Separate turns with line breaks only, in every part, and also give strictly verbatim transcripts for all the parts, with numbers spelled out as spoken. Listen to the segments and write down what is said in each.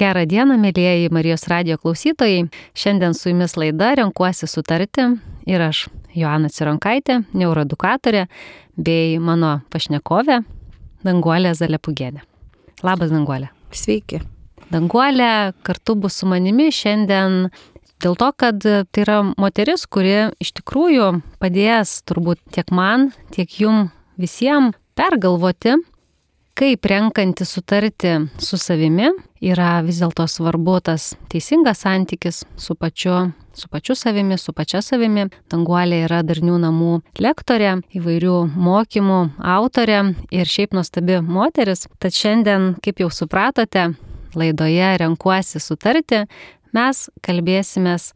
Gerą dieną, mėlyjeji Marijos radijo klausytojai. Šiandien su jumis laida Renkuosi sutarti ir aš, Joana Cironkaitė, neuroedukatorė, bei mano pašnekovė Danguolė Zalepugienė. Labas, Danguolė.
Sveiki.
Danguolė kartu bus su manimi šiandien dėl to, kad tai yra moteris, kuri iš tikrųjų padės turbūt tiek man, tiek jum visiems pergalvoti, kaip renkanti sutarti su savimi yra vis dėlto svarbu tas teisingas santykis su pačiu, su pačiu savimi, su pačia savimi. Danguolė yra darnių namų lektorė, įvairių mokymų autorė ir šiaip nuostabi moteris. Tad šiandien, kaip jau supratote, laidoje Renkuosi sutarti mes kalbėsimės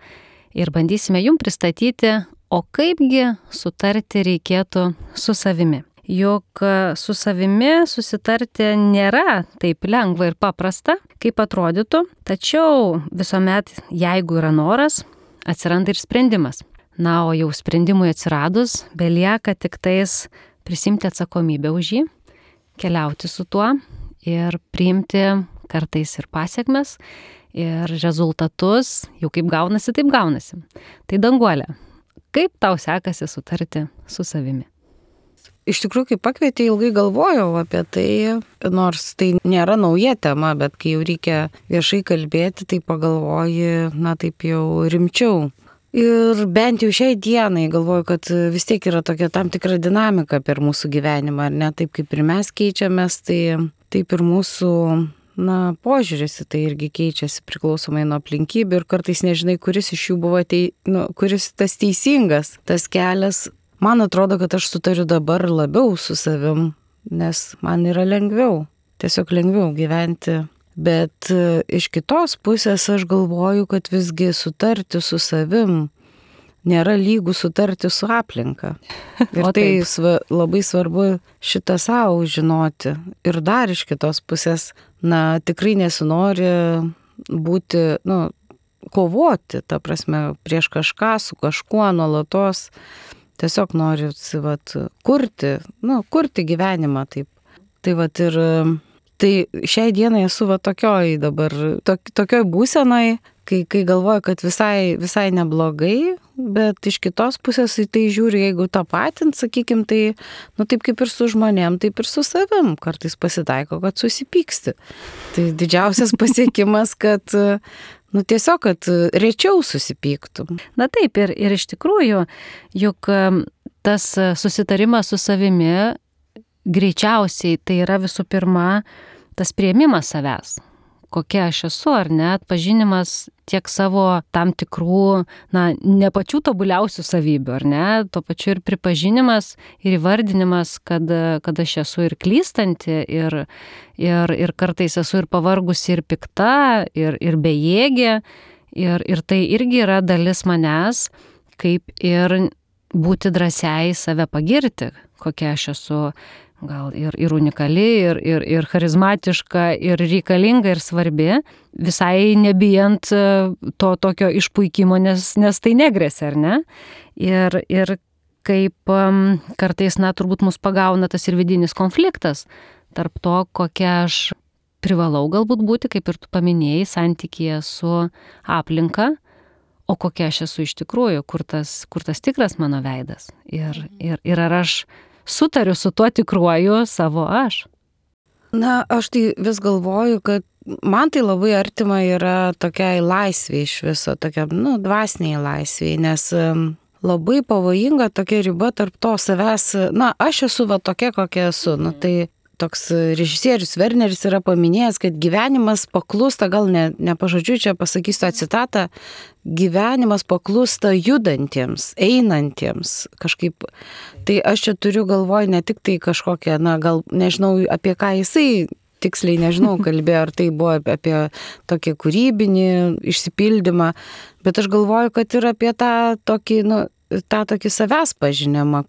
ir bandysime jums pristatyti, o kaipgi sutarti reikėtų su savimi. Juk su savimi susitarti nėra taip lengva ir paprasta, kaip atrodytų, tačiau visuomet, jeigu yra noras, atsiranda ir sprendimas. Na, o jau sprendimui atsiradus, belieka tik tais prisimti atsakomybę už jį, keliauti su tuo ir priimti kartais ir pasiekmes, ir rezultatus, jau kaip gaunasi, taip gaunasi. Tai Danguolė, kaip tau sekasi sutarti su savimi?
Iš tikrųjų, kai pakvietė, ilgai galvojau apie tai, nors tai nėra nauja tema, bet kai jau reikia viešai kalbėti, tai pagalvoji, na taip jau rimčiau. Ir bent jau šiai dienai galvoju, kad vis tiek yra tokia tam tikra dinamika per mūsų gyvenimą, ar ne? Taip kaip ir mes keičiamės, tai taip ir mūsų, na, požiūris į tai irgi keičiasi priklausomai nuo aplinkybių ir kartais nežinai, kuris iš jų buvo, tei, nu, kuris tas teisingas, tas kelias. Man atrodo, kad aš sutariu dabar labiau su savim, nes man yra lengviau, tiesiog lengviau gyventi. Bet iš kitos pusės aš galvoju, kad visgi sutarti su savim nėra lygų sutarti su aplinka. Ir tai sva, labai svarbu šitą savo žinoti. Ir dar iš kitos pusės, na, tikrai nesinori būti, nu, kovoti, ta prasme, prieš kažką, su kažkuo nuolatos. Tiesiog noriu, vat, kurti, nu, kurti gyvenimą taip. Tai vat ir, tai šiai dienai esu va tokioj dabar, tok, tokioj būsenoj, kai, kai galvoju, kad visai, visai neblogai, bet iš kitos pusės į tai žiūriu, jeigu tą patint, sakykim, tai, nu, taip kaip ir su žmonėm, taip ir su savim. Kartais pasitaiko, kad susipyksti. Tai didžiausias pasiekimas, kad nu tiesiog, kad rečiau susipyktum.
Na taip, ir, ir iš tikrųjų, juk tas susitarimas su savimi greičiausiai tai yra visų pirma tas priėmimas savęs. Kokia aš esu, ar ne, atpažinimas tiek savo tam tikrų, na, ne pačių tobuliausių savybių, ar ne, tuo pačiu ir pripažinimas ir įvardinimas, kad, kad aš esu ir klystanti, ir, ir, ir kartais esu ir pavargusi, ir pikta, ir, ir bejėgė, ir, ir tai irgi yra dalis manęs, kaip ir būti drąsiai save pagirti, kokia aš esu. Gal ir, ir unikali, ir, ir, ir charizmatiška, ir reikalinga, ir svarbi, visai nebijant to tokio išpuikimo, nes, nes tai negresia, ar ne? Ir, ir kaip um, kartais, na, turbūt mus pagauna tas ir vidinis konfliktas tarp to, kokia aš privalau galbūt būti, kaip ir tu paminėjai, santykyje su aplinka, o kokia aš esu iš tikrųjų, kur tas, kur tas tikras mano veidas. Ir, ir, ir ar aš sutariu su tuo tikruoju savo aš.
Na, aš tai vis galvoju, kad man tai labai artima yra tokiai laisvė iš viso, tokia, nu, dvasiniai laisvė, nes labai pavojinga tokia riba tarp to savęs, na, aš esu va tokia, kokia esu, nu, tai toks režisierius Werneris yra paminėjęs, kad gyvenimas paklūsta, gal ne, ne pažodžiu čia pasakysiu tą citatą, gyvenimas paklūsta judantiems, einantiems kažkaip. Tai aš čia turiu galvoj ne tik tai kažkokią, na gal nežinau apie ką jisai, tiksliai nežinau, kalbėjo, ar tai buvo apie tokį kūrybinį išsipildymą, bet aš galvoju, kad ir apie tą tokį, nu, tą tokį savęs pažinimą.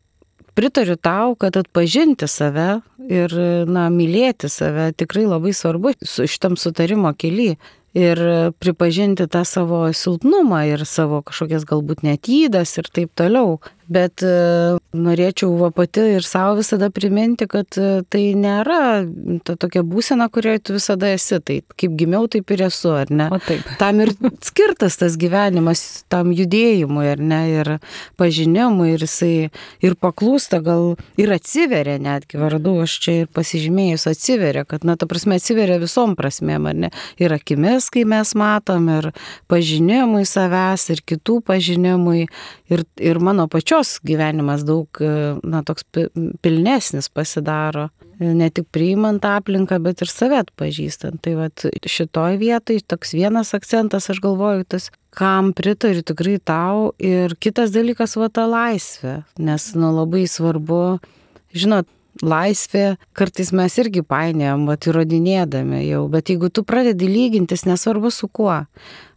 Pritariu tau, kad atpažinti save ir, na, mylėti save tikrai labai svarbu su šitam sutarimo kely. ir pripažinti tą savo silpnumą ir savo kažkokias galbūt net ydas ir taip toliau. Bet e, norėčiau va pati ir savo visada priminti, kad e, tai nėra ta tokia būsena, kurioje tu visada esi. Tai kaip gimiau, taip ir esu, ar ne?
O taip.
Tam ir skirtas tas gyvenimas, tam judėjimui, ar ne, ir pažinimui, ir jisai ir paklūsta, gal ir atsiveria netgi, vardu, aš čia ir pasižymėjus atsiveria, kad, na, ta prasme, atsiveria visom prasmėm, ar ne? Ir akimis, kai mes matom, ir pažinimui savęs, ir kitų pažinimui, ir, ir mano pačios gyvenimas daug, na, toks pilnesnis pasidaro, ne tik priimant aplinką, bet ir save atpažįstant. Tai vat šitoj vietoj toks vienas akcentas, aš galvoju, tas, kam pritariu tikrai tau, ir kitas dalykas, va, ta laisvė, nes, nu, labai svarbu, žinot, laisvė, kartais mes irgi painiojam, va, įrodinėdami jau, bet jeigu tu pradedi lygintis, nesvarbu su kuo,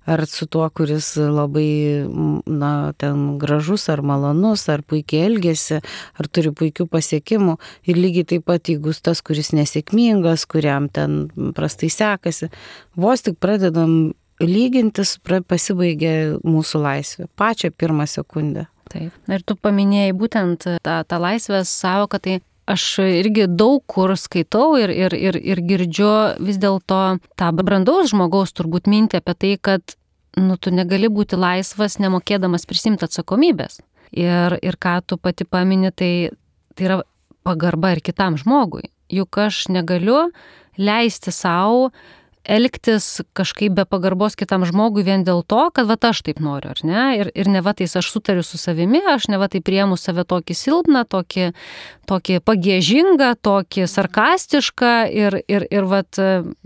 ar su tuo, kuris labai, na, ten gražus, ar malonus, ar puikiai elgesi, ar turi puikių pasiekimų, ir lygiai taip pat, jeigu tas, kuris nesėkmingas, kuriam ten prastai sekasi, vos tik pradedam lygintis, pasibaigia mūsų laisvė, pačią pirmą sekundę.
Taip. Ir tu paminėjai būtent tą, tą laisvės savoką, tai aš irgi daug kur skaitau ir, ir, ir, ir girdžiu vis dėlto tą brandaus žmogaus turbūt mintį apie tai, kad, nu, tu negali būti laisvas, nemokėdamas prisimti atsakomybės. Ir, ir ką tu pati pamini, tai, tai yra pagarba ir kitam žmogui. Juk aš negaliu leisti savo elgtis kažkaip be pagarbos kitam žmogui vien dėl to, kad va aš taip noriu, ar ne? Ir, ir ne va tais aš sutariu su savimi, aš ne va taip priemu save tokį silpną, tokį, tokį pagiežingą, tokį sarkastišką ir, ir, ir va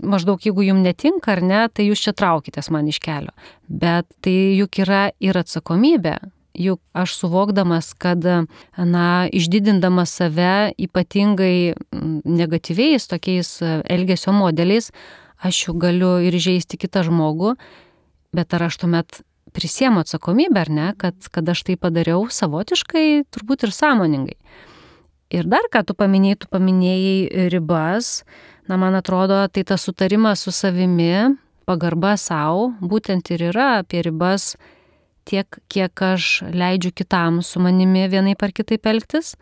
maždaug jeigu jums netinka, ar ne, tai jūs čia traukitės man iš kelio. Bet tai juk yra ir atsakomybė. Juk aš suvokdamas, kad, na, išdidindamas save ypatingai negatyviais tokiais elgesio modeliais, aš jau galiu ir žeisti kitą žmogų, bet ar aš tuomet prisiemu atsakomybę, ar ne, kad, kad aš tai padariau savotiškai, turbūt ir sąmoningai. Ir dar ką tu paminėjai, tu paminėjai ribas, na, man atrodo, tai tas sutarimas su savimi, pagarba savo, būtent ir yra apie ribas tiek, kiek aš leidžiu kitam su manimi vienaip ar kitaip elgtis,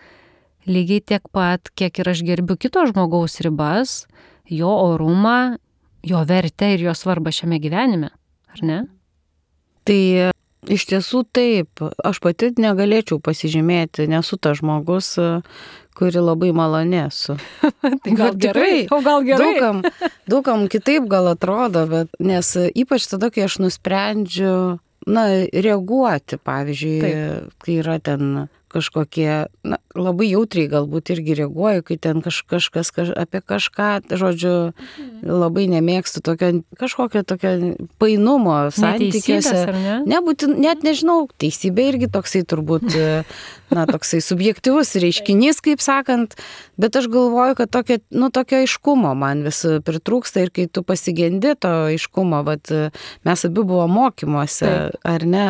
lygiai tiek pat, kiek ir aš gerbiu kito žmogaus ribas, jo orumą, jo vertę ir jo svarbą šiame gyvenime, ar ne?
Tai iš tiesų taip, aš pati negalėčiau pasižymėti, nesu tas žmogus, kuri labai maloni esu.
Tai gal gerai, o gal gerai.
Daugam, daugam kitaip gal atrodo, bet nes ypač tada, kai aš nusprendžiu, na, reaguoti, pavyzdžiui, taip, kai yra ten kažkokie, na, labai jautriai galbūt irgi reaguoju, kai ten kaž, kažkas kaž, apie kažką, žodžiu, labai nemėgstu tokio, kažkokio tokio painumo santykiuose.
Ne?
Nebūtin, net nežinau, teisybė irgi toksai turbūt, na, toksai subjektyvus reiškinys, kaip sakant, bet aš galvoju, kad tokio, nu, tokio aiškumo man vis pritrūksta ir kai tu pasigendi to aiškumo, vat, mes abi buvo mokymuose, taip, ar ne,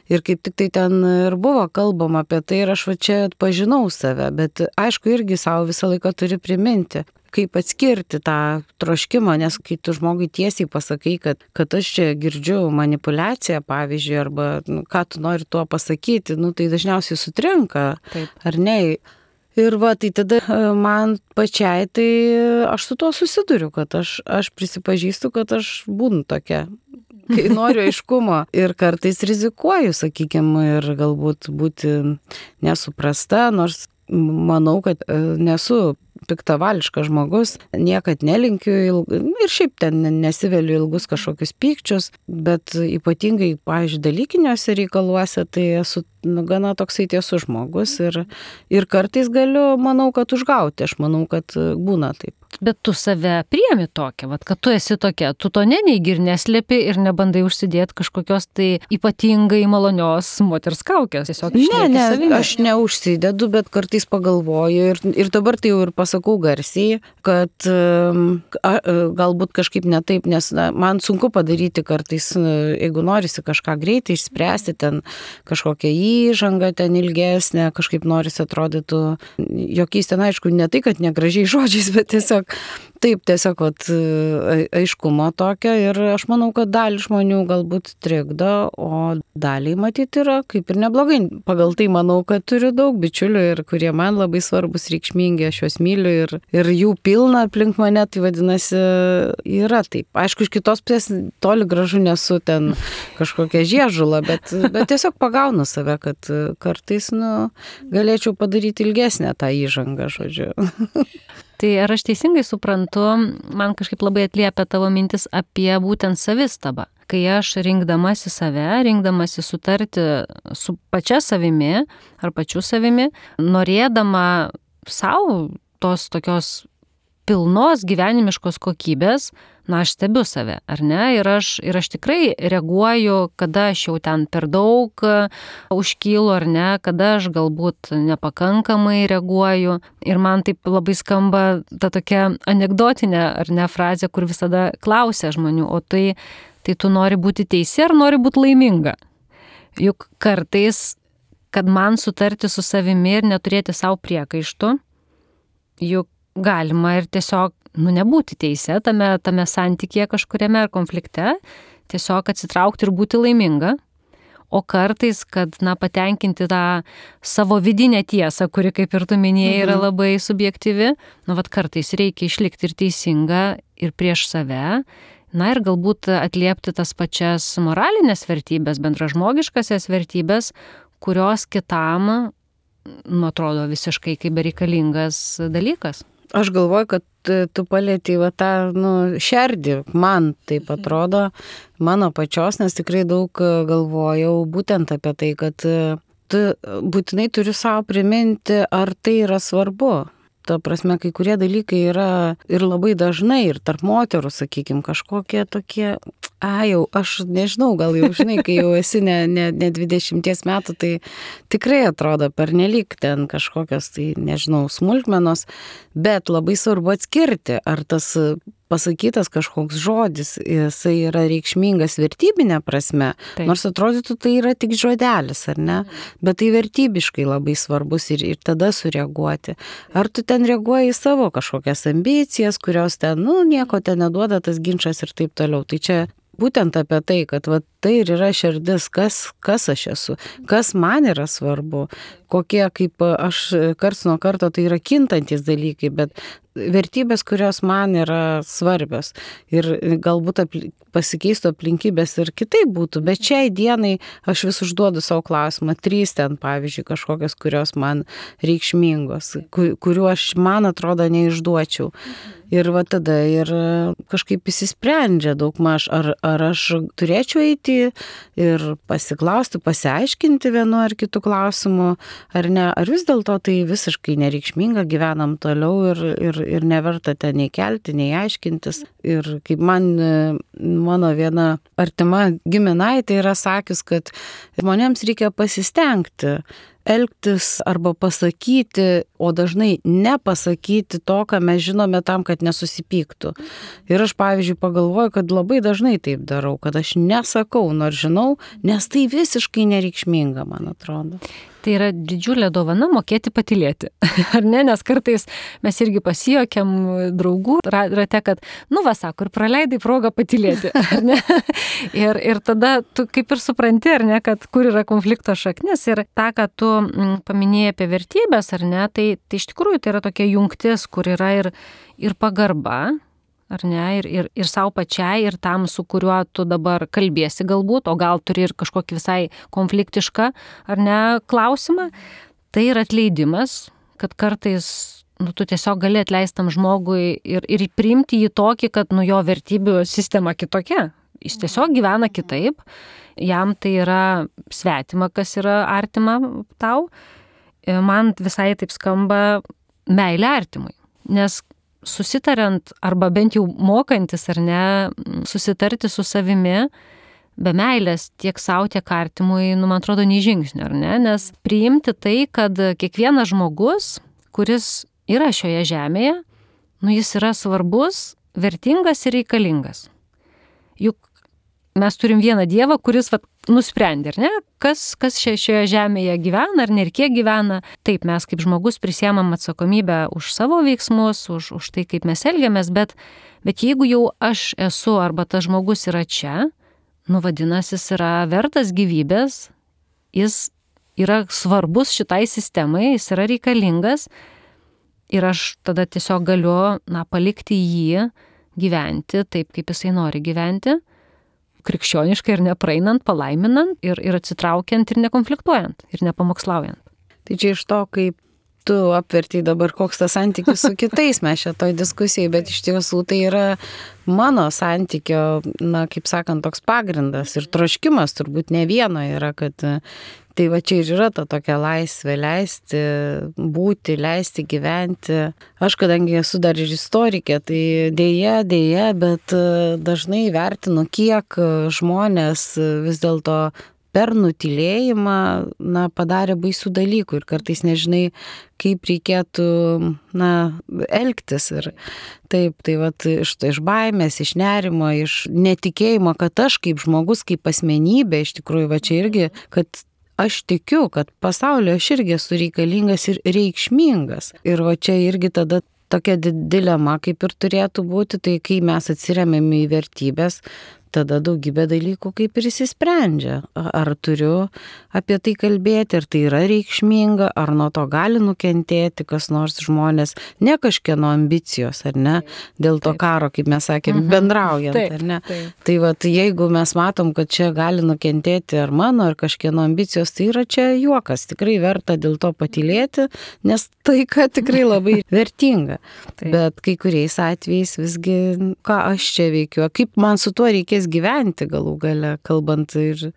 ir kaip tik tai ten ir buvo kalbama apie tai ir aš va čia atpažinau save, bet aišku irgi savo visą laiką turi priminti, kaip atskirti tą troškimą, nes kai tu žmogui tiesiai pasakai, kad, kad aš čia girdžiu manipuliaciją, pavyzdžiui, arba, nu, ką tu nori tuo pasakyti, nu, tai dažniausiai sutrinka, taip, ar ne? Ir va, tai tada man pačiai, tai aš su tuo susiduriu, kad aš, aš prisipažįstu, kad aš būnu tokia, kai noriu aiškumo ir kartais rizikuoju, sakykime, ir galbūt būti nesuprasta, nors manau, kad nesu piktavališkas žmogus, niekad nelinkiu ilg... ir šiaip ten nesiveliu ilgus kažkokius pykčius, bet ypatingai, pavyzdžiui, dalykiniuose reikaluose, tai esu, nu, gana toksai tiesus žmogus ir, ir kartais galiu, manau, kad užgauti, aš manau, kad būna taip.
Bet tu save priemi tokią, vat, kad tu esi tokia, tu to neneigi ir neslėpi ir nebandai užsidėti kažkokios tai ypatingai malonios moters kaukės. Tiesiog
ne, ne, savimi. Aš neužsidedu, bet kartais pagalvoju ir, ir dabar tai jau ir pasakau garsiai, kad a, galbūt kažkaip ne taip, nes na, man sunku padaryti kartais, jeigu norisi kažką greitai išspręsti, ten kažkokią įžanga ten ilgesnė, kažkaip norisi atrodytų, jokiais ten aišku, ne tai, kad negražiai žodžiais, bet tiesiog taip, tiesiog vat, aiškumo tokio ir aš manau, kad dalį žmonių galbūt trikdo, o daliai matyti yra kaip ir neblogai. Pagal tai manau, kad turiu daug bičiulių ir kurie man labai svarbus, reikšmingi, aš juos myliu ir, ir jų pilna aplink mane, tai vadinasi, yra taip. Aišku, iš kitos pusės toli gražu nesu ten kažkokia žiežula, bet, bet tiesiog pagaunu save, kad kartais, nu, galėčiau padaryti ilgesnę tą įžangą, žodžiu.
Tai ar aš teisingai suprantu, man kažkaip labai atliepia tavo mintis apie būtent savistabą. Kai aš rinkdamasi save, rinkdamasi sutarti su pačia savimi ar pačiu savimi, norėdama savo tos tokios pilnos gyvenimiškos kokybės, na, aš stebiu save, ar ne? Ir aš, ir aš tikrai reaguoju, kada aš jau ten per daug užkylu, ar ne, kada aš galbūt nepakankamai reaguoju. Ir man taip labai skamba ta tokia anekdotinė, ar ne, frazė, kur visada klausia žmonių, o tai, tai tu nori būti teisi ar nori būti laiminga? Juk kartais, kad man sutarti su savimi ir neturėti savo priekaištų, juk galima ir tiesiog, nu, nebūti teise tame, tame santykėje kažkuriame ar konflikte, tiesiog atsitraukti ir būti laiminga. O kartais, kad, na, patenkinti tą savo vidinę tiesą, kuri, kaip ir tu minėjai, yra labai subjektyvi, nu, vat kartais reikia išlikti ir teisinga ir prieš save, na, ir galbūt atliepti tas pačias moralinės vertybės, bendražmogiškasias vertybės, kurios kitam, nu, atrodo visiškai kaip bereikalingas dalykas.
Aš galvoju, kad tu palėtei va tą, nu, šerdį, man taip atrodo, mano pačios, nes tikrai daug galvojau būtent apie tai, kad tu būtinai turi savo priminti, ar tai yra svarbu. Ta prasme, kai kurie dalykai yra ir labai dažnai, ir tarp moterų, sakykime, kažkokie tokie, a, jau, aš nežinau, gal jau žinai, kai jau esi ne, ne, ne dvidešimties metų, tai tikrai atrodo pernelyg ten kažkokios, tai nežinau, smulkmenos, bet labai svarbu atskirti, ar tas pasakytas kažkoks žodis, jisai yra reikšmingas vertybinė prasme, taip. Nors atrodytų tai yra tik žodelis, ar ne, bet tai vertybiškai labai svarbus ir, ir tada sureaguoti. Ar tu ten reaguoji į savo kažkokias ambicijas, kurios ten, nu, nieko ten neduoda tas ginčas ir taip toliau. Tai čia būtent apie tai, kad va, tai ir yra širdis, kas, kas aš esu, kas man yra svarbu, kokie, kaip aš karts nuo karto, tai yra kintantis dalykai, bet vertybės, kurios man yra svarbios ir galbūt apli- pasikeistų aplinkybės ir kitaip būtų, bet šiai dienai aš vis užduodu savo klausimą, trys ten, pavyzdžiui, kažkokios, kurios man reikšmingos, kuriuo aš, man atrodo, neišduočiau. Ir va tada ir kažkaip įsisprendžia daugmaž, ar, ar aš turėčiau eiti ir pasiklausti, pasiaiškinti vienu ar kitu klausimu, ar ne, ar vis dėlto tai visiškai nereikšminga, gyvenam toliau ir, ir, ir neverta ten nei kelti, nei aiškintis. Ir kaip man, mano viena artima giminaitė yra sakius, kad žmonėms reikia pasistengti, elgtis arba pasakyti, o dažnai nepasakyti to, ką mes žinome tam, kad nesusipyktų. Ir aš, pavyzdžiui, pagalvoju, kad labai dažnai taip darau, kad aš nesakau, nors žinau, nes tai visiškai nereikšminga, man atrodo.
Tai yra didžiulė dovana mokėti patylėti, ar ne? Nes kartais mes irgi pasijokiam draugų rate, kad, nu va, sako, ir praleidai progą patylėti, ar ne? Ir, ir tada tu kaip ir supranti, ar ne, kad kur yra konflikto šaknis ir tą, ką tu paminėjai apie vertybės, ar ne, tai, tai iš tikrųjų tai yra tokia jungtis, kur yra ir, ir pagarba, ar ne, ir, ir, ir savo pačiai, ir tam, su kuriuo tu dabar kalbėsi galbūt, o gal turi ir kažkokį visai konfliktišką, ar ne, klausimą, tai yra atleidimas, kad kartais, nu, tu tiesiog gali atleistam žmogui ir, ir priimti jį tokį, kad, nu, jo vertybių sistema kitokia, jis tiesiog gyvena kitaip, jam tai yra svetima, kas yra artima tau, man visai taip skamba meilė artimui, nes susitariant arba bent jau mokantis ar ne, susitarti su savimi, be meilės tiek savo, tiek artimui, nu, man atrodo, nei žingsnio, ar ne, nes priimti tai, kad kiekvienas žmogus, kuris yra šioje žemėje, nu, jis yra svarbus, vertingas ir reikalingas. Juk mes turim vieną Dievą, kuris vat, nusprendė, ar ne, kas, kas šia, šioje žemėje gyvena, ar ne, ir kiek gyvena. Taip, mes kaip žmogus prisiemam atsakomybę už savo veiksmus, už, už tai, kaip mes elgiamės, bet, bet jeigu jau aš esu arba tas žmogus yra čia, nu vadinasi, jis yra vertas gyvybės, jis yra svarbus šitai sistemai, jis yra reikalingas ir aš tada tiesiog galiu, na, palikti jį gyventi taip, kaip jisai nori gyventi, krikščioniškai ir nepraeinant, palaiminant ir, ir atsitraukiant ir nekonfliktuojant ir nepamokslaujant.
Tai čia iš to, kaip tu apverti dabar, koks tas santykis su kitais mes šitoj diskusijai, bet iš tiesų tai yra mano santykio, na, kaip sakant, toks pagrindas ir troškimas turbūt ne vieno yra, kad tai va čia ir yra ta tokia laisvė, leisti būti, leisti gyventi. Aš, kadangi esu dar ir istorikė, tai dėja, dėja, bet dažnai vertinu, kiek žmonės vis dėlto per nutylėjimą, na, padarė baisių dalykų ir kartais nežinai, kaip reikėtų, na, elgtis. Ir taip, tai vat iš, iš baimės, iš nerimo, iš netikėjimo, kad aš kaip žmogus, kaip asmenybė, iš tikrųjų, va čia irgi, kad aš tikiu, kad pasaulio aš irgi esu reikalingas ir reikšmingas. Ir va čia irgi tada tokia dilema, kaip ir turėtų būti, tai kai mes atsiremiame į vertybės, tada daugybė dalykų kaip ir įsisprendžia. Ar turiu apie tai kalbėti, ar tai yra reikšminga, ar nuo to gali nukentėti kas nors žmonės, ne kažkieno ambicijos, ar ne, dėl to taip. Karo, kaip mes sakėm, mhm. bendraujant, taip, ar ne. Taip. Tai vat, jeigu mes matom, kad čia gali nukentėti ar mano, ar kažkieno ambicijos, tai yra čia juokas, tikrai verta dėl to patylėti, nes taika tikrai labai vertinga. Taip. Bet kai kuriais atvejais visgi, ką aš čia veikiu, kaip man su tuo reikės gyventi galų gale, kalbant ir,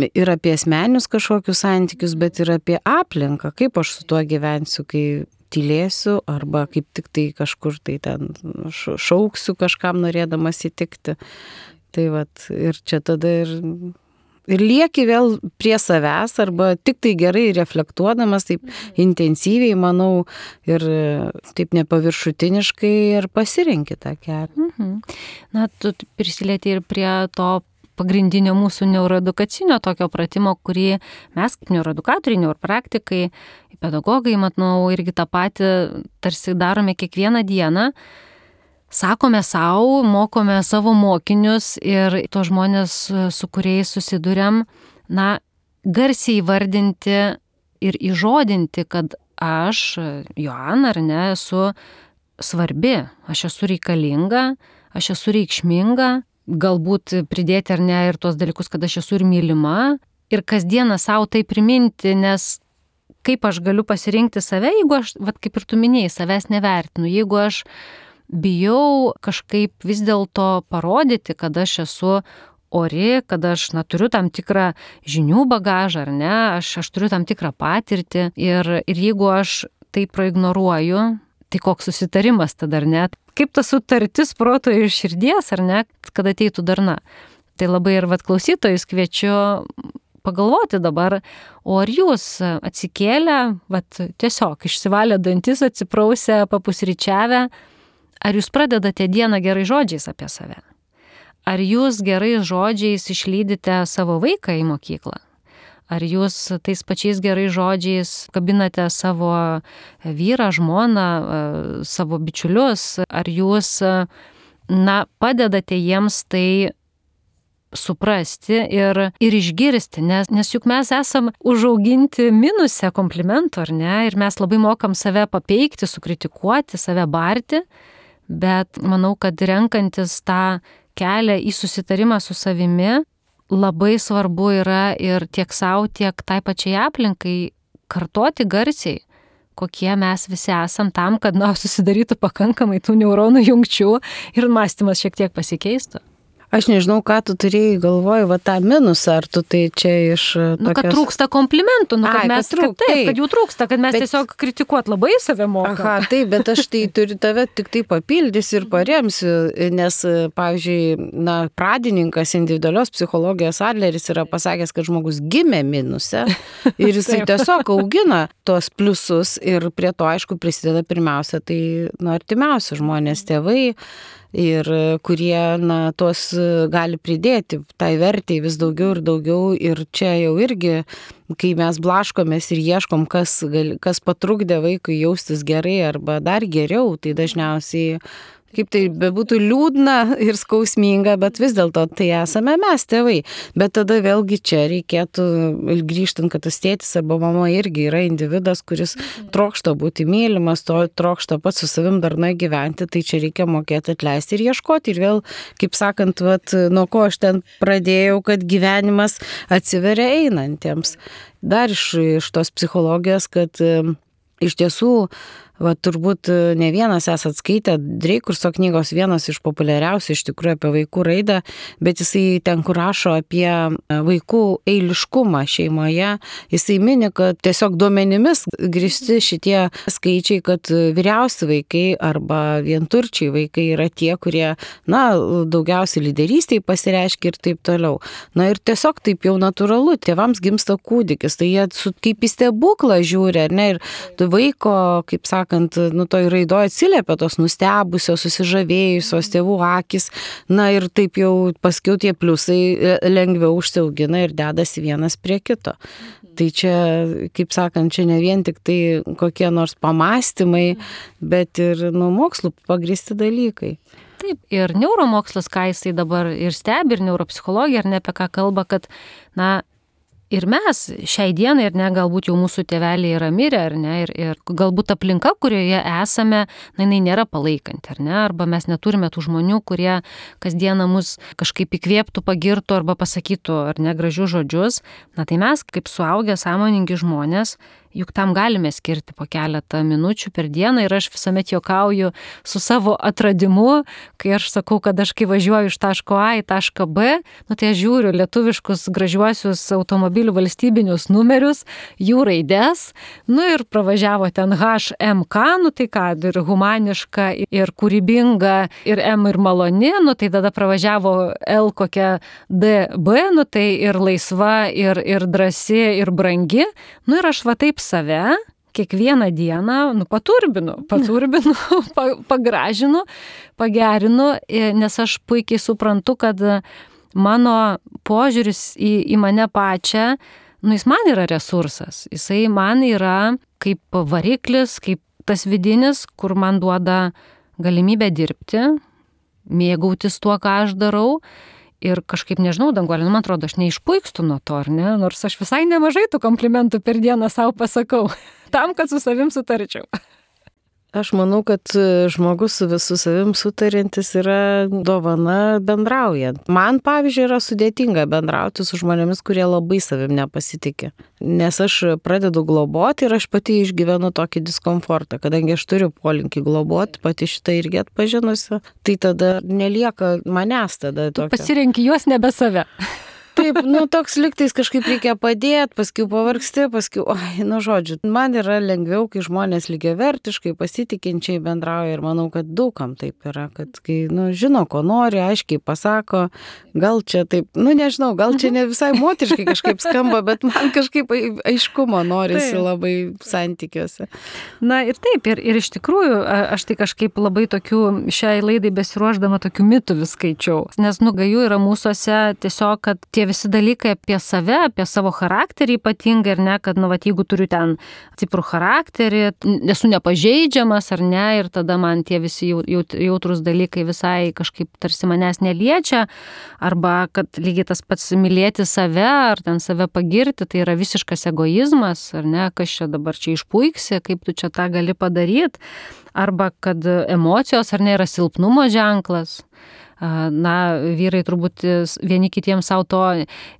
ir apie asmenius kažkokius santykius, bet ir apie aplinką, kaip aš su tuo gyvensiu, kai tylėsiu arba kaip tik tai kažkur tai ten šauksiu kažkam norėdamas įtikti. Tai vat, ir čia tada ir, ir lieki vėl prie savęs arba tik tai gerai reflektuodamas, taip intensyviai, manau, ir taip nepaviršutiniškai ir pasirinki tą kelią.
Mhm. Na, tu prisilieti ir prie to pagrindinio mūsų neuroedukacinio tokio pratimo, kurį mes kaip neuroedukatoriai, neuropraktikai, pedagogai, matau, irgi tą patį tarsi darome kiekvieną dieną. Sakome savo, mokome savo mokinius ir tos žmonės, su kuriais susiduriam, na, garsiai įvardinti ir įžodinti, kad aš, Joana, ar ne, esu svarbi, aš esu reikalinga, aš esu reikšminga, galbūt pridėti ar ne ir tuos dalykus, kad aš esu ir mylima ir kasdieną savo tai priminti, nes kaip aš galiu pasirinkti save, jeigu aš, vat kaip ir tu minėjai, savęs nevertinu, jeigu aš bijau kažkaip vis dėlto parodyti, kad aš esu ori, kad aš na, turiu tam tikrą žinių bagažą, ar ne, aš, aš turiu tam tikrą patirtį ir, ir jeigu aš tai praignoruoju, tai koks susitarimas tada, ar ne? Kaip ta sutartis proto ir širdies, ar ne, kad ateitų darna. Tai labai ir vat klausytojus kviečiu pagalvoti dabar, o ar jūs atsikėlę, vat tiesiog išsivalę dantis, atsiprausę, papusryčiavę, ar jūs pradedate dieną gerai žodžiais apie save? Ar jūs gerai žodžiais išlydite savo vaiką į mokyklą? Ar jūs tais pačiais gerai žodžiais kabinate savo vyrą, žmoną, savo bičiulius? Ar jūs, na, padedate jiems tai suprasti ir, ir išgirsti? Nes, nes juk mes esam užauginti minuse komplimentų, ar ne? Ir mes labai mokam save papeikti, sukritikuoti, save barti. Bet manau, kad renkantis tą kelią į susitarimą su savimi, labai svarbu yra ir tiek savo, tiek tai pačiai aplinkai kartoti garsiai, kokie mes visi esam tam, kad na, susidarytų pakankamai tų neuronų jungčių ir mąstymas šiek tiek pasikeistų.
Aš nežinau, ką tu turėjai galvoj, va tą minusą, ar tu tai čia iš tokios...
Nu, kad trūksta komplimentų, nu, kad
Ai,
mes,
kad, trūk,
kad, taip, kad jų trūksta, kad mes bet... tiesiog kritikuot labai save mokam.
Aha, taip, bet aš tai turiu tave tik tai papildysiu ir paremsiu, nes, pavyzdžiui, na, pradininkas individualios psichologijos Adleris yra pasakęs, kad žmogus gimė minuse ir jisai tiesiog augina tuos pliusus ir prie to, aišku, prisideda pirmiausia, tai, nu, artimiausi žmonės, tėvai, ir kurie, na, tuos gali pridėti, tai vertei vis daugiau ir daugiau ir čia jau irgi, kai mes blaškomės ir ieškom, kas, gal, kas patrukdė vaikui jaustis gerai arba dar geriau, tai dažniausiai kaip tai bebūtų liūdna ir skausminga, bet vis dėlto tai esame mes tėvai. Bet tada vėlgi čia reikėtų grįžtant, kad tas tėtis arba mama irgi yra individas, kuris trokšta būti mylimas, to trokšta pats su savim darnai gyventi, tai čia reikia mokėti atleisti ir ieškoti. Ir vėl, kaip sakant, vat, nuo ko aš ten pradėjau, kad gyvenimas atsiveria einantiems. Dar iš, iš tos psichologijos, kad iš tiesų va, turbūt ne vienas esat skaitę Dreikurso knygos, vienas iš populiariausių iš tikrųjų apie vaikų raidą, bet jisai ten, kur rašo apie vaikų eiliškumą šeimoje, jisai mini, kad tiesiog duomenimis grįsti šitie skaičiai, kad vyriausi vaikai arba vienturčiai vaikai yra tie, kurie, na, daugiausiai lyderystėje pasireiškia ir taip toliau. Na ir tiesiog taip jau natūralu, tėvams gimsta kūdikis, tai jie su, kaip į stebuklą žiūri, ar ne, ir vaiko, kaip sako, sakant, nu, toj raidoje atsiliepia tos nustebusios, susižavėjusios tėvų akis, na ir taip jau paskiau tie pliusai lengviau užsiaugina ir dedasi vienas prie kito. Tai čia, kaip sakant, čia ne vien tik tai kokie nors pamastymai, bet ir nu, mokslų pagrįsti dalykai.
Taip, ir neuromokslas, ką jisai dabar ir stebi, ir neuropsichologija, ir ne apie ką kalba, kad, na, ir mes šiai dienai, ir ne, galbūt jau mūsų tėveliai yra mirę, ar ne, ir, ir galbūt aplinka, kurioje esame, na, jinai nėra palaikanti, ar ne, arba mes neturime tų žmonių, kurie kasdieną mus kažkaip įkvėptų, pagirtų arba pasakytų, ar ne, gražius žodžius. Na, tai mes, kaip suaugę, sąmoningi žmonės, juk tam galime skirti po keletą minučių per dieną ir aš visuomet juokauju su savo atradimu, kai aš sakau, kad aš kai važiuoju iš taško A į tašką B, nu tai aš žiūriu lietuviškus gražiuosius automobilių valstybinius numerius, jų raides, nu ir pravažiavo ten H M K, nu tai ką, ir humaniška, ir kūrybinga, ir M ir maloni, nu tai tada pravažiavo L kokia D B, nu tai ir laisva, ir, ir drąsi, ir brangi, nu ir aš va taip save kiekvieną dieną, nu, paturbinu, paturbinu, pagražinu, pagerinu, nes aš puikiai suprantu, kad mano požiūris į, į mane pačią, nu, jis man yra resursas, jisai man yra kaip variklis, kaip tas vidinis, kur man duoda galimybę dirbti, mėgautis tuo, ką aš darau. Ir kažkaip, nežinau, Danguolė, nu, man atrodo, aš neišpuikstu nuo to, ar ne? Nors aš visai nemažai tų komplimentų per dieną savo pasakau, tam, kad su savim sutarčiau.
Aš manau, kad žmogus su visu savim sutarintis yra dovana bendraujant. Man, pavyzdžiui, yra sudėtinga bendrauti su žmonėmis, kurie labai savim nepasitikė. Nes aš pradedu globoti ir aš pati išgyvenu tokį diskomfortą, kadangi aš turiu polinkį globoti, pati šitą irgi atpažinusi, tai tada nelieka manęs tada tokio.
Pasirenki juos nebe save.
Taip, nu, toks liktais kažkaip reikia padėti, paskui pavargsti, paskui, oi, nu, žodžiu, man yra lengviau, kai žmonės lygiavertiškai, pasitikinčiai bendrauja ir manau, kad daugam taip yra, kad kai, nu, žino, ko nori, aiškiai pasako, gal čia taip, nu, nežinau, gal čia ne visai moteriškai kažkaip skamba, bet man kažkaip aiškumo norisi taip. Labai santykiuose.
Na ir taip, ir, ir iš tikrųjų, aš tai kažkaip labai tokių, šiai laidai besiruošdama tokių mitų vis skaičiau, nes, nu, gaju yra mūsuose tiesiog, kad tie visi dalykai apie save, apie savo charakterį ypatingai, ar ne, kad, nu, vat, jeigu turiu ten stiprų charakterį, esu nepažeidžiamas, ar ne, ir tada man tie visi jautrus dalykai visai kažkaip tarsi manęs neliečia, arba kad lygiai tas pats mylėti save, ar ten save pagirti, tai yra visiškas egoizmas, ar ne, kas čia dabar čia išpuiksi, kaip tu čia tą gali padaryti, arba kad emocijos, ar ne, yra silpnumo ženklas. Na, vyrai turbūt vieni kitiems savo to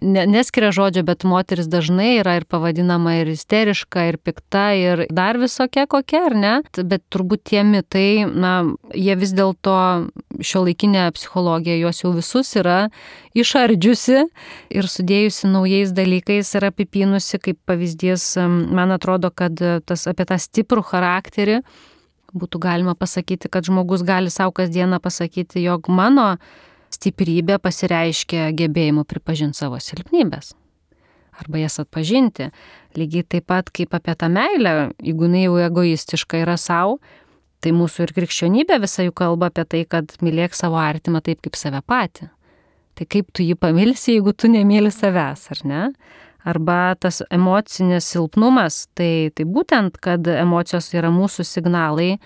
neskiria žodžio, bet moteris dažnai yra ir pavadinama ir isteriška, ir pikta, ir dar visokia kokia, ar ne? Bet turbūt tie mitai, na, jie vis dėlto šiuolaikinė psichologija juos jau visus yra išardžiusi ir sudėjusi naujais dalykais ir apipynusi, kaip pavyzdys, man atrodo, kad tas, apie tą stiprų charakterį būtų galima pasakyti, kad žmogus gali savo kasdieną pasakyti, jog mano stiprybė pasireiškia gebėjimu pripažinti savo silpnybės arba jas atpažinti. Lygiai taip pat kaip apie tą meilę, jeigu jinai jau egoistiška yra savo, Tai mūsų ir krikščionybė visą jų kalba apie tai, kad mylėk savo artimą taip kaip save patį. Tai kaip tu jį pamilsi, jeigu tu nemyli savęs, ar ne? Arba tas emocinis silpnumas, tai, tai būtent, kad emocijos yra mūsų signalai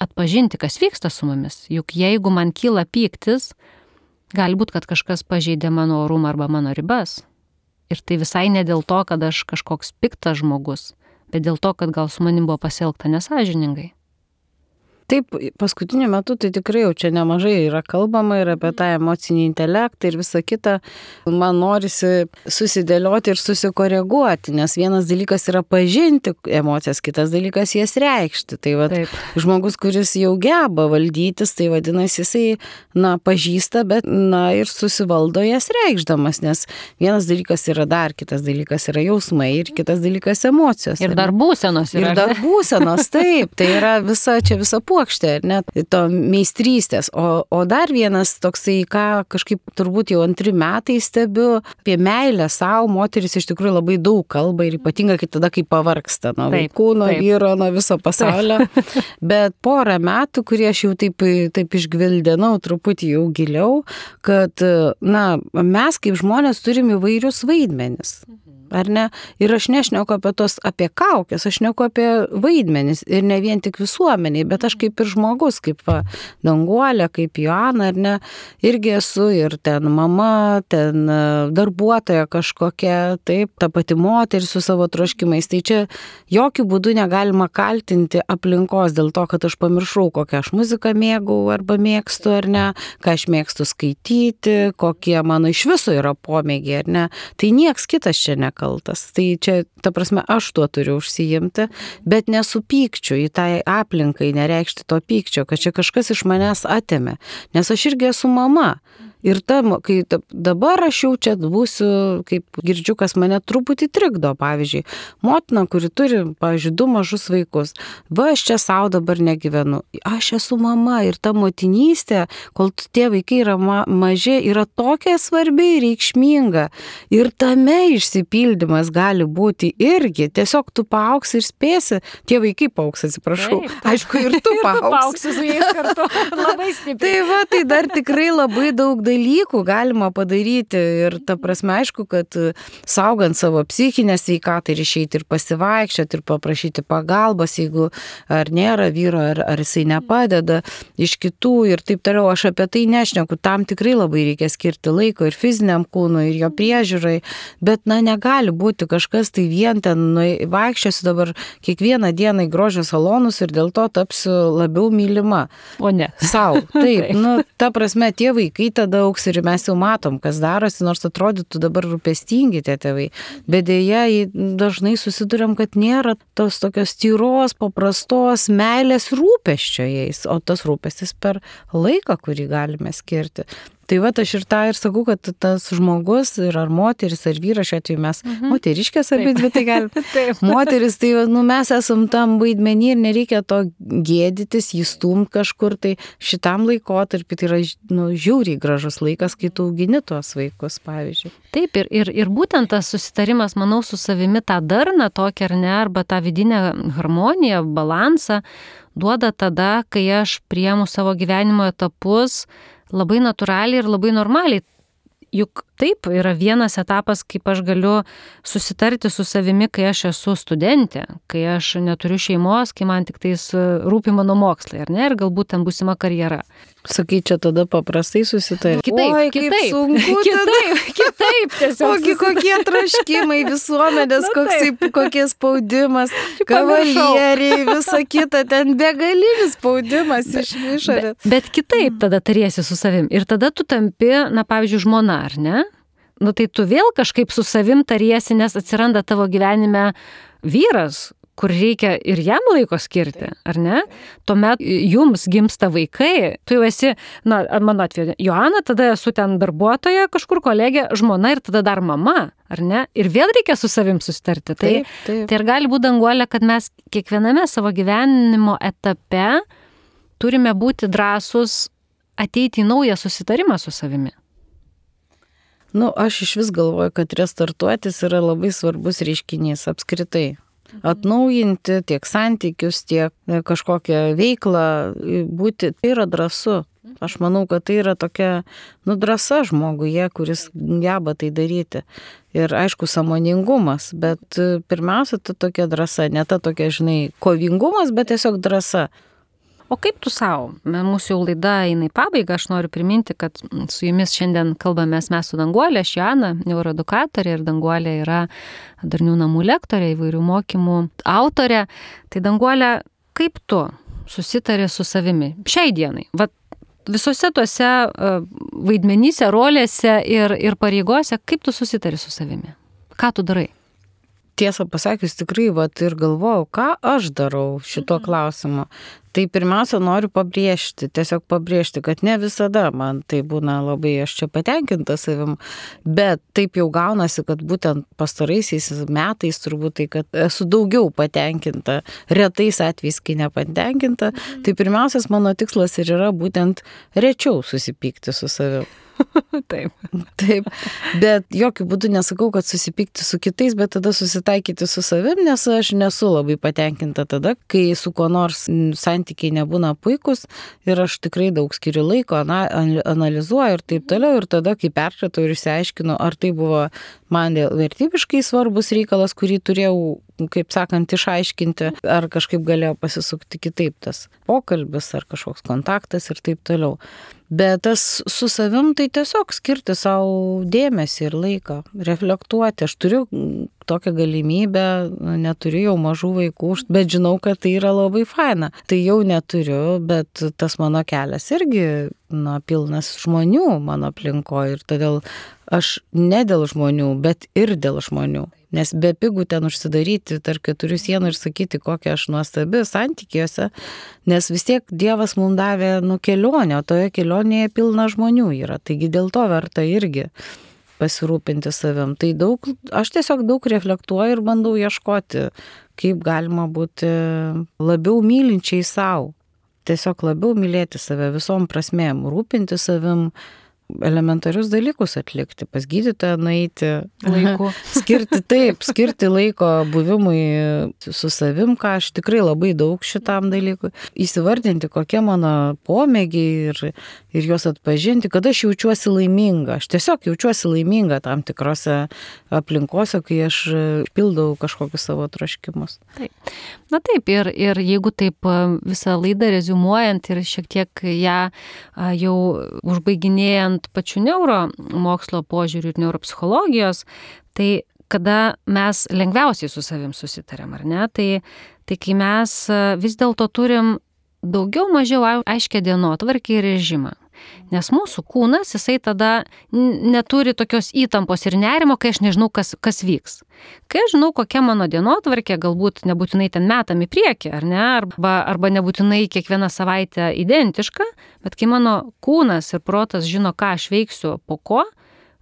atpažinti, kas vyksta su mumis. Juk jeigu man kyla pyktis, gali būti, kad kažkas pažeidė mano orumą arba mano ribas. Ir tai visai ne dėl to, kad aš kažkoks piktas žmogus, bet dėl to, kad gal su manim buvo pasielgta nesąžiningai.
Taip, paskutiniu metu tai tikrai jau čia nemažai yra kalbama ir apie tą emocinį intelektą ir visą kitą. Man norisi susidėlioti ir susikoreguoti, nes vienas dalykas yra pažinti emocijas, kitas dalykas jas reikšti. Tai va, žmogus, kuris jau geba valdytis, tai vadinasi jisai, na, pažįsta, bet, na, ir susivaldo jas reikšdamas, nes vienas dalykas yra dar, kitas dalykas yra jausmai ir kitas dalykas emocijos.
Ir dar būsenos yra.
Ir dar būsenos, taip, tai yra visa, čia visa puokštė. Ar net to meistrystės. O, o dar vienas toksai, ką kažkaip turbūt jau antri metai stebiu, apie meilę savo, moteris iš tikrųjų labai daug kalba ir ypatingai kai tada, kai pavargsta nuo vaikų, nuo vyro, nuo viso pasaulio. Bet porą metų, kurie aš jau taip, taip išgvildenau truputį jau giliau, kad, na, mes kaip žmonės turim įvairius vaidmenis. Ar ne? Ir aš nešneku apie tos, apie kaukės, aš neku apie vaidmenis ir ne vien tik visuomeniai, bet aš kaip ir žmogus, kaip va, Danguolė, kaip Joana, ar ne, irgi esu ir ten mama, ten darbuotoja kažkokia, taip, ta pati moteris su savo troškimais. Tai čia jokių būdų negalima kaltinti aplinkos dėl to, kad aš pamiršau, kokią aš muziką mėgau arba mėgstu, ar ne, ką aš mėgstu skaityti, kokie mano iš viso yra pomėgiai, ar ne. Tai nieks kitas čia nekalba. Kaltas. Tai čia, ta prasme, aš tuo turiu užsiimti, bet nesupykčiu į tą aplinkai, nereikšti to pykčio, kad čia kažkas iš manęs atėmė, nes aš irgi esu mama. Ir ta, kai dabar aš jau čia būsiu, kaip girdžiu, kas mane truputį trikdo, pavyzdžiui, motina, kuri turi, pavyzdžiui, du mažus vaikus, va, aš čia savo dabar negyvenu, aš esu mama ir ta motinystė, kol tie vaikai yra ma maži, yra tokia svarbi ir reikšminga ir tame išsipildymas gali būti irgi, tiesiog tu paauksi ir spėsi, tie vaikai paauks, atsiprašau, taip, taip. Aišku, ir tu paauksi.
Ir tu paauksi su jais kartu, labai stipriai.
Tai va, tai dar tikrai labai daug dalykų galima padaryti ir ta prasme, aišku, kad saugant savo psichinę sveikatą ir išeiti ir pasivaikščioti ir paprašyti pagalbos, jeigu ar nėra vyro, ar, ar jisai nepadeda iš kitų ir taip toliau, aš apie tai nešneku, tam tikrai labai reikia skirti laiko ir fiziniam kūnui, ir jo priežiūrai, bet, na, negali būti kažkas tai vien ten, nu, vaikščiosiu dabar kiekvieną dieną į grožio salonus ir dėl to tapsiu labiau mylima.
O ne.
Sau. Taip, nu, ta prasme, tie vaikai tada auks ir mes jau matom, kas darosi, nors atrodytų dabar rūpestingi tie tėvai. Bet dėja, dažnai susiduriam, kad nėra tos tokios tyros, paprastos meilės rūpesčio jais, o tas rūpestis per laiką, kurį galime skirti. Tai va, aš ir tą ir sakau, kad tas žmogus, ir ar moteris, ar vyras, šiuo atveju mes mhm. moteriškės abi dvi, tai galim. Moteris, tai nu, mes esam tam vaidmenį ir nereikia to gėdytis, jį stumt kažkur, tai šitam laikotarpį tai yra, nu, žiauriai gražus laikas, kai tu augini tuos vaikus, pavyzdžiui.
Taip, ir, ir, ir būtent tas susitarimas, manau, su savimi tą darną tokią ar ne, arba tą vidinę harmoniją, balansą duoda tada, kai aš priemu savo gyvenimo etapus labai natūraliai ir labai normaliai. Juk taip yra vienas etapas, kaip aš galiu susitarti su savimi, kai aš esu studentė, kai aš neturiu šeimos, kai man tik tais rūpi mano mokslai, ar ne, ir galbūt ten būsima karjera.
Sakai, čia tada paprastai susitarti.
Kitaip,
Oi,
kitaip,
sunku
kitaip, kitaip, tiesiog.
Ogi kokie traškimai visuomenės, koksai, kokie spaudimas, kavalieriai, visa kita, ten begalinis spaudimas iš išorės.
Bet, bet kitaip tada tariesi su savim. Ir tada tu tampi, na, pavyzdžiui, žmona, ar ne? Nu, tai tu vėl kažkaip su savim tariesi, nes atsiranda tavo gyvenime vyras, kur reikia ir jam laiko skirti, ar ne? Tuomet jums gimsta vaikai, tu jau esi, na, mano atveju, Joana, tada esu ten darbuotoja, kažkur kolegė, žmona ir tada dar mama, ar ne? Ir vėl reikia su savim susitarti. Tai,
taip, taip.
Tai ir gali būti, Danguolė, kad mes kiekviename savo gyvenimo etape turime būti drąsus ateiti į naują susitarimą su savimi.
Nu, aš iš vis galvoju, kad restartuotis yra labai svarbus reiškinys apskritai. atnaujinti tiek santykius, tiek kažkokią veiklą, būti, tai yra drąsu. Aš manau, kad tai yra tokia, nu, drąsa žmoguje, kuris geba tai daryti. Ir aišku, sąmoningumas, bet pirmiausia, ta tokia drąsa, ne ta tokia, žinai, kovingumas, bet tiesiog drąsa.
O kaip tu savo? Mūsų jau laida eina į pabaigą, aš noriu priminti, kad su jumis šiandien kalbamės mes su Danguolė, aš Joana, neuroedukatorė, ir Danguolė yra darnių namų lektorė, įvairių mokymų autorė. Tai Danguolė, kaip tu susitari su savimi šiai dienai? Vat visose tuose vaidmenyse, rolėse ir, ir pareigose, kaip tu susitari su savimi? Ką tu darai?
Tiesą pasakius, tikrai vat, ir galvojau, ką aš darau šito mhm. klausimu. Tai pirmiausia, noriu pabrėžti, tiesiog pabrėžti, kad ne visada man tai būna labai, aš čia patenkinta savim, bet taip jau gaunasi, kad būtent pastaraisiais metais turbūt tai, kad esu daugiau patenkinta, retais atvejais, kai nepatenkinta, mhm. tai pirmiausias mano tikslas ir yra būtent rečiau susipykti su savim.
Taip.
Taip, bet jokių būdų nesakau, kad susipykti su kitais, bet tada susitaikyti su savim, nes aš nesu labai patenkinta tada, kai su kuo nors santykiai nebūna puikus ir aš tikrai daug skiriu laiko, analizuoju ir taip toliau, ir tada, kai perpratau ir išsiaiškinu, ar tai buvo man vertybiškai svarbus reikalas, kurį turėjau, kaip sakant, išaiškinti, ar kažkaip galėjo pasisukti kitaip tas pokalbis, ar kažkoks kontaktas ir taip toliau. Bet tas su savim tai tiesiog skirti savo dėmesį ir laiką, reflektuoti. Aš turiu tokią galimybę, neturiu jau mažų vaikų, bet žinau, kad tai yra labai faina. Tai jau neturiu, bet tas mano kelias irgi, na, pilnas žmonių mano aplinkoje ir todėl aš ne dėl žmonių, bet ir dėl žmonių. Nes be pigų ten užsidaryti tarp keturių sienų ir sakyti, kokia aš nuostabi santykiuose, nes vis tiek Dievas mums davė nu, kelionę, o toje kelionėje pilna žmonių yra. Taigi dėl to verta irgi pasirūpinti savim. Tai daug, aš tiesiog daug reflektuoju ir bandau ieškoti, kaip galima būti labiau mylinčiai savo. Tiesiog labiau mylėti save visom prasmėm, rūpinti savim, elementarius dalykus atlikti, pas gydytoją nueiti,
laiku.
skirti taip, skirti laiko buvimui su savim, ką aš tikrai labai daug šitam dalykui, įsivardinti, kokie mano pomėgiai ir, ir juos atpažinti, kad aš jaučiuosi laiminga. Aš tiesiog jaučiuosi laiminga tam tikrose aplinkose, kai aš pildau kažkokius savo troškimus.
Taip. Na taip, ir, ir jeigu taip visą laidą reziumuojant ir šiek tiek ją jau užbaiginėjant pačių neuromokslo požiūrių ir neuropsichologijos, tai kada mes lengviausiai su savim susitarėm, ar ne? Tai, tai kai mes vis dėlto turim daugiau mažiau aiškę dienotvarkę ir režimą. Nes mūsų kūnas, jisai tada neturi tokios įtampos ir nerimo, kai aš nežinau, kas, kas vyks. Kai aš žinau, kokia mano dienotvarkė, galbūt nebūtinai ten metam į priekį, ar ne, arba, arba nebūtinai kiekvieną savaitę identiška, bet kai mano kūnas ir protas žino, ką aš veiksiu po ko,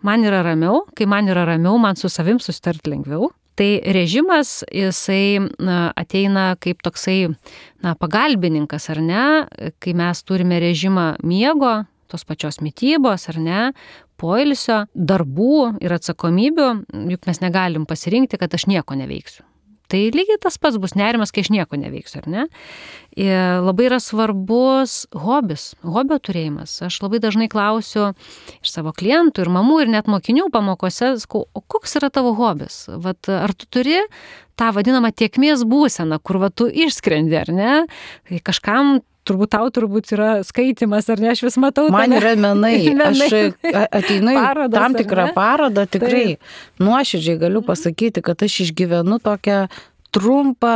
man yra ramiau, kai man yra ramiau, man su savim susitarti lengviau. Tai režimas, jisai na, ateina kaip toksai na, pagalbininkas, ar ne, kai mes turime režimą miego, tos pačios mitybos, ar ne, poilsio, darbų ir atsakomybių, juk mes negalim pasirinkti, kad aš nieko neveiksiu. Tai lygiai tas pats bus nerimas, kai aš nieko neveiksiu, ar ne? Ir labai yra svarbus hobis, hobio turėjimas. Aš labai dažnai klausiu iš savo klientų ir mamų ir net mokinių pamokose, sakau, o koks yra tavo hobis? Vat, ar tu turi tą vadinamą tėkmės būseną, kur va, tu išskrendi, ar ne? Tai kažkam turbūt tau turbūt yra skaitimas, ar ne, aš vis matau.
Man yra menai, aš ateinu į tam tikrą parodą, tikrai nuoširdžiai galiu pasakyti, kad aš išgyvenu tokią trumpą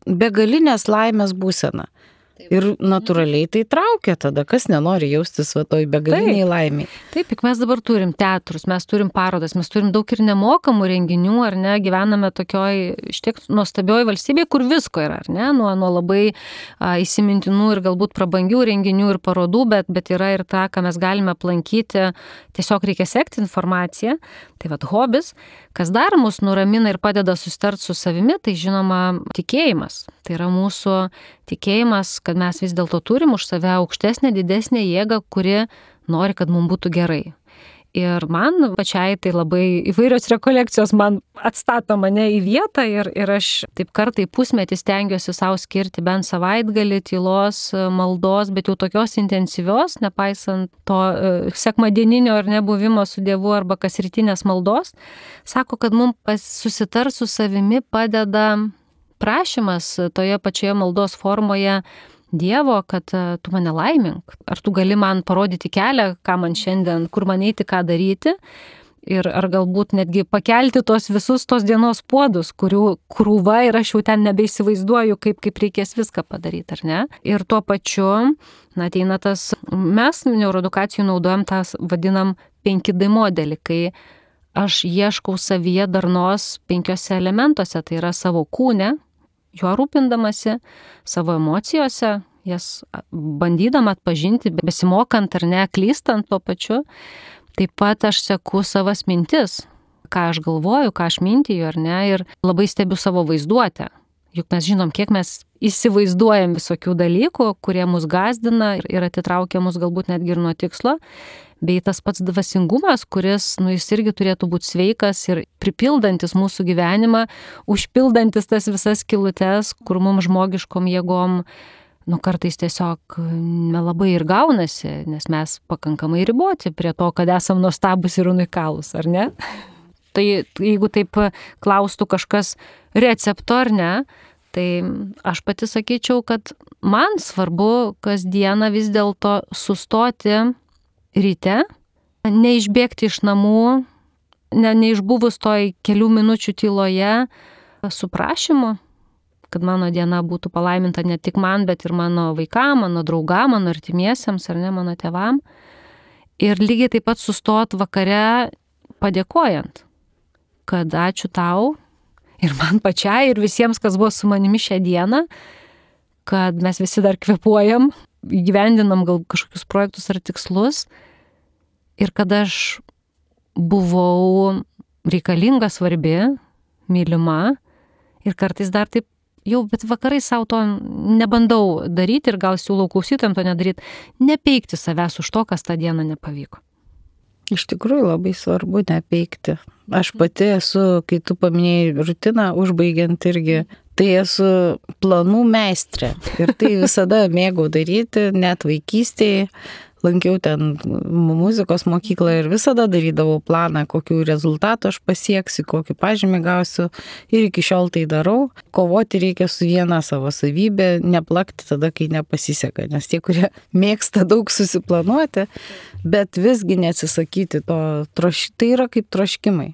begalinės laimės būseną. Ir natūraliai tai traukia tada, kas nenori jaustis va toj begaliniai laimiai.
Taip, juk mes dabar turim teatrus, mes turim parodas, mes turim daug ir nemokamų renginių, ar ne, gyvename tokioj štiek nuostabioj valstybėje, kur visko yra, ar ne, nuo, nuo labai a, įsimintinų ir galbūt prabangių renginių ir parodų, bet, bet yra ir ta, ką mes galime aplankyti, tiesiog reikia sekti informaciją. Tai va, hobis, kas dar mus nuramina ir padeda susitart su savimi, tai žinoma tikėjimas. Tai yra mūsų tikėjimas, kad mes vis dėlto turim už save aukštesnę, didesnę jėgą, kuri nori, kad mums būtų gerai. Ir man pačiai tai labai įvairios rekolekcijos man atstato mane į vietą ir, ir aš taip kartai pusmetį stengiuosi savo skirti bent savaitgalį tylos, maldos, bet jau tokios intensyvios, nepaisant to sekmadieninio ar nebuvimo su Dievu arba kasrytinės maldos. Sako, kad mums susitar su savimi padeda prašymas toje pačioje maldos formoje Dievo, kad tu mane laimink, ar tu gali man parodyti kelią, ką man šiandien, kur man eiti, ką daryti, ir ar galbūt netgi pakelti tos visus tos dienos puodus, kurių krūva ir aš jau ten nebeįsivaizduoju, kaip, kaip reikės viską padaryti, ar ne? Ir tuo pačiu, na, ateina tas, mes neuroedukacijų naudojam tas, vadinam penki D modelį, kai aš ieškau savyje darnos penkiose elementuose, tai yra savo kūne, juo rūpindamasi, savo emocijose, jas bandydama atpažinti, besimokant ar ne, klystant tuo pačiu. Taip pat aš seku savas mintis, ką aš galvoju, ką aš mintiju ar ne, ir labai stebiu savo vaizduotę. Juk mes žinom, kiek mes įsivaizduojam visokių dalykų, kurie mus gazdina ir atitraukia mus galbūt netgi ir nuo tikslo. Bei tas pats dvasingumas, kuris, nu, jis irgi turėtų būti sveikas ir pripildantis mūsų gyvenimą, užpildantis tas visas skylutes, kur mums žmogiškom jėgom, nu, kartais tiesiog nelabai ir gaunasi, nes mes pakankamai riboti prie to, kad esam nuostabus ir unikalūs, ar ne? Tai jeigu taip klaustų kažkas recepto ar ne, tai aš pati sakyčiau, kad man svarbu kasdieną vis dėlto sustoti ryte, neišbėgti iš namų, ne, neišbuvus toj kelių minučių tyloje su prašymu, kad mano diena būtų palaiminta ne tik man, bet ir mano vaikam, mano draugam, mano artimiesiems ar ne, mano tėvam. Ir lygiai taip pat sustot vakare padėkojant, kad ačiū tau ir man pačiai ir visiems, kas buvo su manimi šią dieną, kad mes visi dar kvėpuojam, įgyvendinam gal kažkokius projektus ar tikslus ir kad aš buvau reikalinga, svarbi, mylima ir kartais dar taip jau, bet vakarai savo to nebandau daryti ir gal siūlau klausytojams to nedaryti, nepeikti savęs už to, kas tą dieną nepavyko.
Iš tikrųjų labai svarbu nepeikti. Aš pati esu, kai tu paminėjai rutiną, užbaigiant irgi, tai esu planų meistrė. Ir tai visada mėgau daryti, net vaikystėje. Lankiau ten muzikos mokyklą ir visada darydavau planą, kokių rezultatų aš pasieksiu, kokį pažymį gausiu. Ir iki šiol tai darau. Kovoti reikia su viena savo savybė, neplakti tada, kai nepasiseka. Nes tie, kurie mėgsta daug susiplanuoti, bet visgi neatsisakyti to, troš... tai yra kaip troškimai.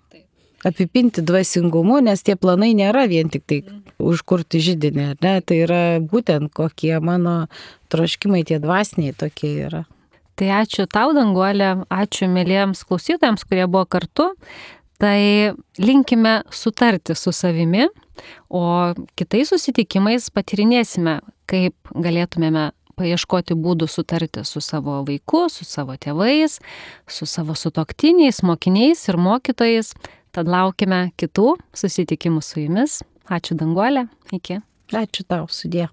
Apipinti dvasingumu, nes tie planai nėra vien tik tai užkurti židinį, ne? Tai yra būtent kokie mano troškimai, tie dvasiniai tokie yra.
Tai ačiū tau, Danguolė, ačiū mėlyjams klausytojams, kurie buvo kartu. Tai linkime sutarti su savimi, o kitais susitikimais patyrinėsime, kaip galėtumėme paieškoti būdų sutarti su savo vaiku, su savo tėvais, su savo sutuoktiniais, mokiniais ir mokytojais. Tad laukime kitų susitikimų su jumis. Ačiū, Danguolė. Iki.
Ačiū tau, sudie.